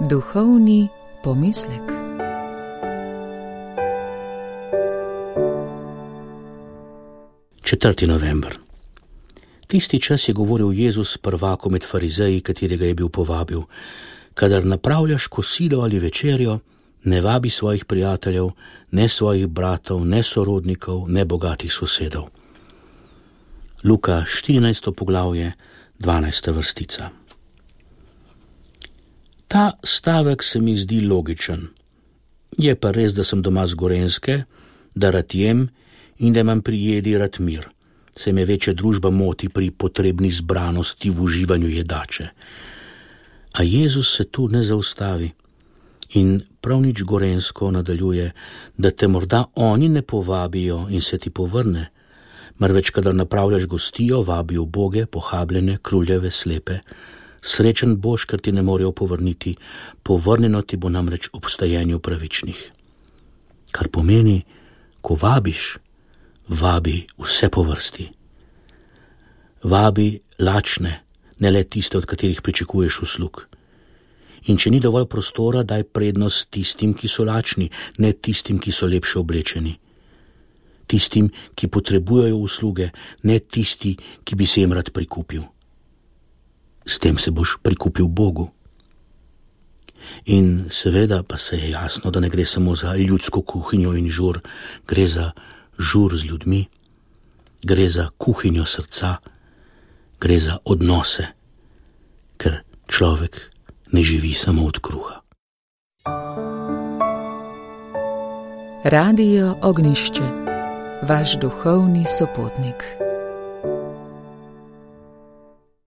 Duhovni pomislek. Četrti november. Tisti čas je govoril Jezus prvaku med farizeji, katerega je bil povabil: kadar napravljaš kosilo ali večerjo, ne vabi svojih prijateljev, ne svojih bratov, ne sorodnikov, ne bogatih sosedov. Luka 14. poglavje, 12. vrstica. Ta stavek se mi zdi logičen. Je pa res, da sem doma z Gorenjske, da rad jem in da imam pri jedi rad mir. Se me večja družba moti pri potrebni zbranosti v uživanju jedače. A Jezus se tu ne zaustavi in prav nič gorenjsko nadaljuje, da te morda oni ne povabijo in se ti povrne, marveč kadar napravljaš gostijo, vabijo uboge, pohabljene, kruljeve, slepe. Srečen boš, ker ti ne morejo povrniti, povrnjeno ti bo namreč ob vstajenju pravičnih. Kar pomeni, ko vabiš, vabi vse po vrsti. Vabi lačne, ne le tiste, od katerih pričakuješ uslug. In če ni dovolj prostora, daj prednost tistim, ki so lačni, ne tistim, ki so lepše oblečeni. Tistim, ki potrebujejo usluge, ne tisti, ki bi se jim rad prikupil. S tem se boš prikupil Bogu. In seveda pa se je jasno, da ne gre samo za ljudsko kuhinjo in žur, gre za žur z ljudmi, gre za kuhinjo srca, gre za odnose, ker človek ne živi samo od kruha. Radio Ognjišče, vaš duhovni sopotnik.